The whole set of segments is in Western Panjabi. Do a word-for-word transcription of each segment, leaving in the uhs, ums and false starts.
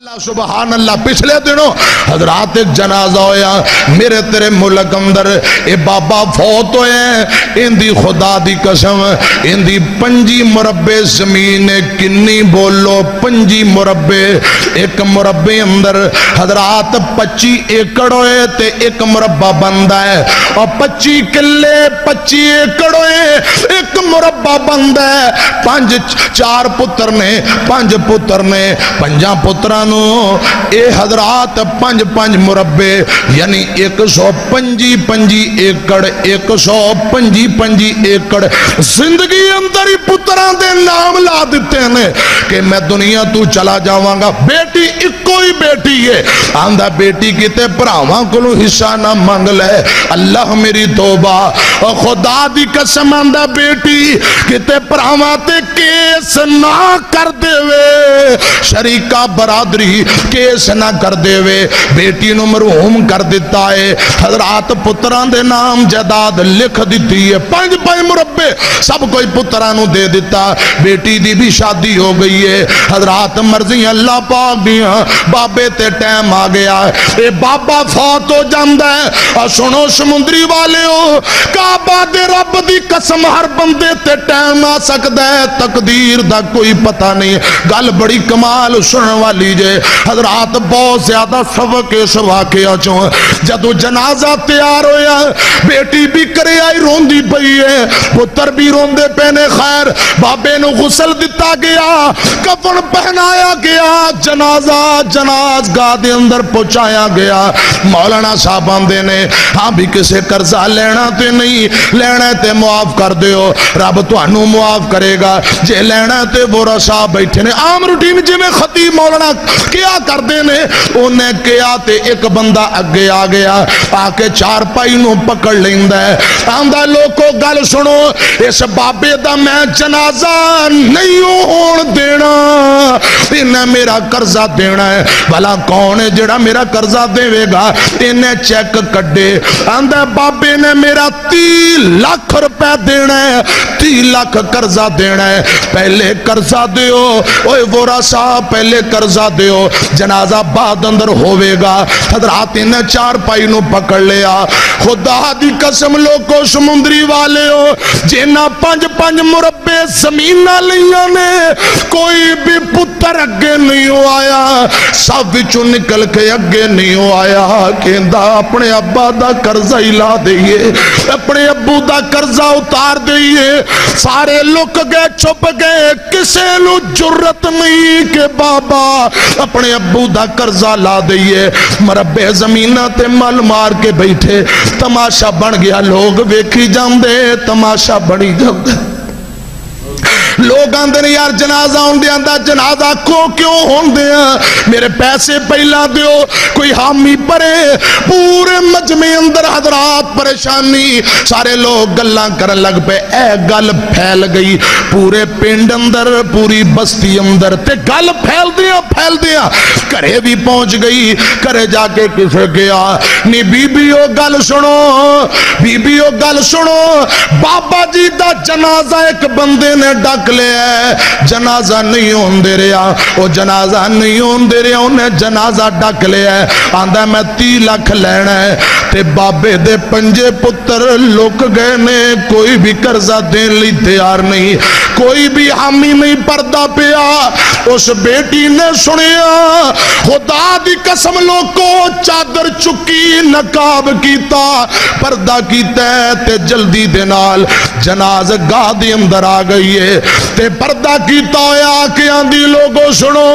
اللہ، سبحان اللہ۔ پچھلے دنوں حضرات ایک جنازہ ہویا میرے تیرے ملک اندر، اے بابا فوت ہوئے ہیں، ان دی خدا دی قسم، ان دی پنجی مربع زمین ہے، کنی بولو، پنجی مربع، ایک مربع اندر حضرات پچی ایکڑ ہوئے تے ایک مربع بندا ہے، اور پچی کلے پچی ایکڑ ہوئے، ایک مربع بندا ہے۔ پنج، چار پتر نے، پنج پتر نے، پنجاں پتراں نوں اے حضرات پنج پنج مربع، یعنی ایک سو پنجی پنجی ایکڑ، ایک سو پنجی پنجی ایکڑ زندگی اندر ہی پتراں دے نام لا دتے نے کہ میں دنیا تو چلا جاواں گا۔ بیٹی اکو ہی بیٹی ہے، آندا بیٹی کتے بھراواں کولوں حصہ نہ منگ لے۔ اللہ میری توبہ، او خدا دی قسم، آندا بیٹی کتے بھراواں تے کیس نہ کر دے وے، شریکہ برادری کیس نہ کر دے وے۔ بیٹی نو مرحوم کر دتا ہے۔ حضرات پتراں دے نام جائیداد لکھ دتی ہے، پنج پنج مربع سب کوئی پتراں نو دے دتا۔ بیٹی دی بھی شادی ہو گئی ہے۔ حضرات مرضی اللہ پاک دیاں، بابے تے ٹائم آ گیا ہے۔ اے بابا فوت ہو جاندا ہے۔ اور سنو سمندری والیو، کعبہ دے رب دی قسم، ہر بندے تے ٹائم آ سکدا ہے، تقدیر دا کوئی پتہ نہیں۔ گل بڑی کمال سنن والی جے۔ حضرات، بہت زیادہ سبق اس واقعہ چوں۔ جدوں جنازہ تیار ہویا، بیٹی بھی کرے آئی روندی پئی ہے، پتر بھی روندے پے نے۔ خیر، بابے نو غسل دتا گیا، کفن پہنایا گیا، جنازہ جناز گاہ دے اندر پہنچایا گیا۔ مولانا صاحب آندے نے، ہاں بھی کسے قرضہ لینا تے نہیں، لینا تے معاف کر دیو، رب تانوں معاف کرے گا۔ جے لینا تے وورا صاحب بیٹھے نے، عام روٹین جویں خطیب مولانا کیا کردے نے، انہیں کیا تے ایک بندہ اگے آ گیا، آ کے چارپائی نو پکڑ لیندا ہے، آندا، لوکو گل سنو، اس بابے دا میں جنازہ نہیں ہون دینا، انہیں میرا قرضہ دینا ہے۔ بھلا کون ہے جڑا میرا قرضہ دیوے گا؟ انہیں چیک کڈے، آندا، بابے نے میرا تی لاکھ روپے دینا ہے، تی لاکھ قرضہ دینا ہے۔ پہلے قرضہ دیو، اوے وورا صاحب، پہلے قرضہ دیو، جنازہ بعد اندر ہووے گا۔ حضرات، انہیں چارپائی نو پکڑ لیا۔ خدا دی قسم لوکو، سمندری والیو، جنہاں پنج پنج مربع زمیناں لیاں نے، کوئی بھی پتر اگے نہیں ہو آیا، سب وچوں نکل کے اگے نہیں ہو آیا۔ کہندا، اپنے ابا دا قرضہ ہی لا دئیے، اپنے ابو دا قرضہ اتار دئیے۔ سارے لک گئے، چھپ گئے، کسے نو جرت نہیں کہ بابا اپنے ابو دا قرضہ لا دئیے۔ مربع زمیناں تے مل مار کے بیٹھے، تماشا بن گیا، لوگ ویکھی جاندے، تماشا بنی جاندے۔ لوگ آندے نے، یار، جنازہ ہوندے آندا، جنازہ کو کیوں ہوندے آ؟ میرے پیسے پہلا دیو، کوئی حامی بھرے۔ پورے مجمع اندر حضرات پریشانی، سارے لوگ گلاں کرن لگ پے۔ اے گل پھیل گئی پورے پنڈ اندر، پوری بستی اندر، تے گل پھیلدیاں پھیلدیاں گھرے بھی پہنچ گئی۔ گھرے جا کے کسے گیا نہیں، بی بی، او گل سنو، بی بی، او گل سنو، بابا جی دا جنازہ ایک بندے نے ڈک لیا ہے، جنازہ نہیں ہوندے رہیا، او جنازہ نہیں ہوندے رہیا، انہیں جنازہ ڈک لیا ہے۔ آندا، میں تی لکھ لینا ہے، تے بابے دے پنجے پتر لک گئے نے، کوئی بھی قرضہ دین لئی تیار نہیں، کوئی بھی حامی نہیں پردا پیا۔ اس بیٹی نے سنیا، خدا دی قسم لوکو، چادر چکی، نقاب کیتا، پردہ کیتا ہے تے جلدی دے نال جناز گاہ دے اندر آ گئی ہے۔ تے پردہ کیتا ہویا آ کے آندی، لوگو سنو،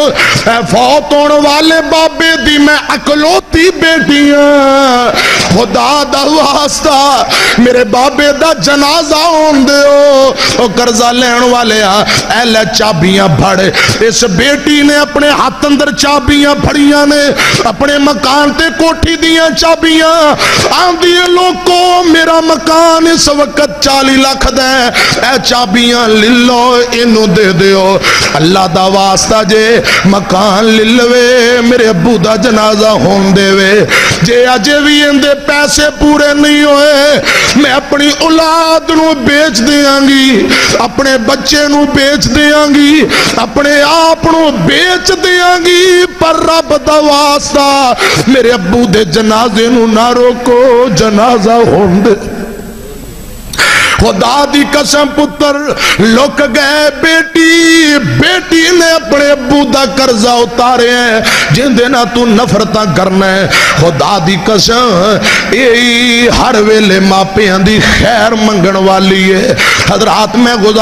اے فوت ہون والے بابے دی میں اکلوتی بیٹی ہاں۔ خدا دا واسطہ، میرے بابے دا جنازہ ہون دیو۔ او قرضہ لین والے آ، اے لے چابیاں پھڑ۔ اس بیٹی نے اپنے ہاتھ اندر چابیاں اڑیاں نے اپنے مکان تے کوٹھی دیاں چابیاں۔ آندی ہے، "لوکو، میرا مکان اس وقت چالی لاکھ دا ہے، اے چابیاں لے لو، اینوں دے دیو۔" اللہ دا واسطہ جے، مکان لے لوے، میرے ابو دا جنازہ ہون دے وے۔ جے اجے وی ایندے پیسے پورے نہیں ہوئے، میں اپنی اولاد نو بیچ دیاں گی، اپنے بچے نو بیچ دیاں گی، اپنے آپ نو بیچ دیاں گی، پر رب دا واسطہ میرے ابو دے جنازے نو نہ روکو، جنازہ ہون دے۔ خدا دی قسم پتر، لک گئے بیٹی، بیٹی نے اپنے ابو دا قرضہ اتارے ہے، جن دے نہ تو نفرتاں کرنا ہے۔ خدا دی قسم، اے ہر ویلے ماپیاں دی خیر منگن والی ہے۔ حضرات، میں گزارش